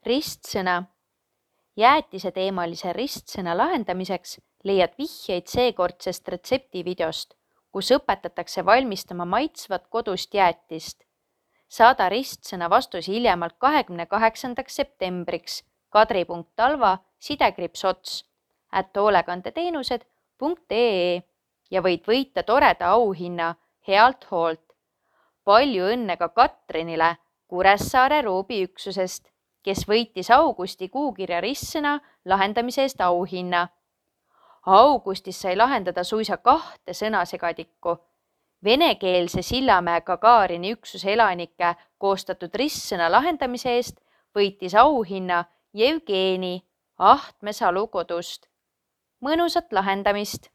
Ristsõna. Jäätiseteemalise ristsõna lahendamiseks leiad vihjeid seekordsest retseptivideost, kus õpetatakse valmistama maitsvat kodust jäätist. Saada ristsõna vastus hiljemalt 28. septembriks kadri.talva@hoolekandeteenused.ee ja võid võita toreda auhinna Healt hoolt. Palju õnne ka Katrinile Kuressaare Roobiüksusest, kes võitis augusti kuukirja ristsõna lahendamise eest auhinna. Augustis sai lahendada suisa 2 sõnasegadikku. Venekeelse Sillamäe Gagarini üksuse elanike koostatud ristsõna lahendamise eest võitis auhinna Jevgeni Ahtme Salu kodust. Mõnusat lahendamist!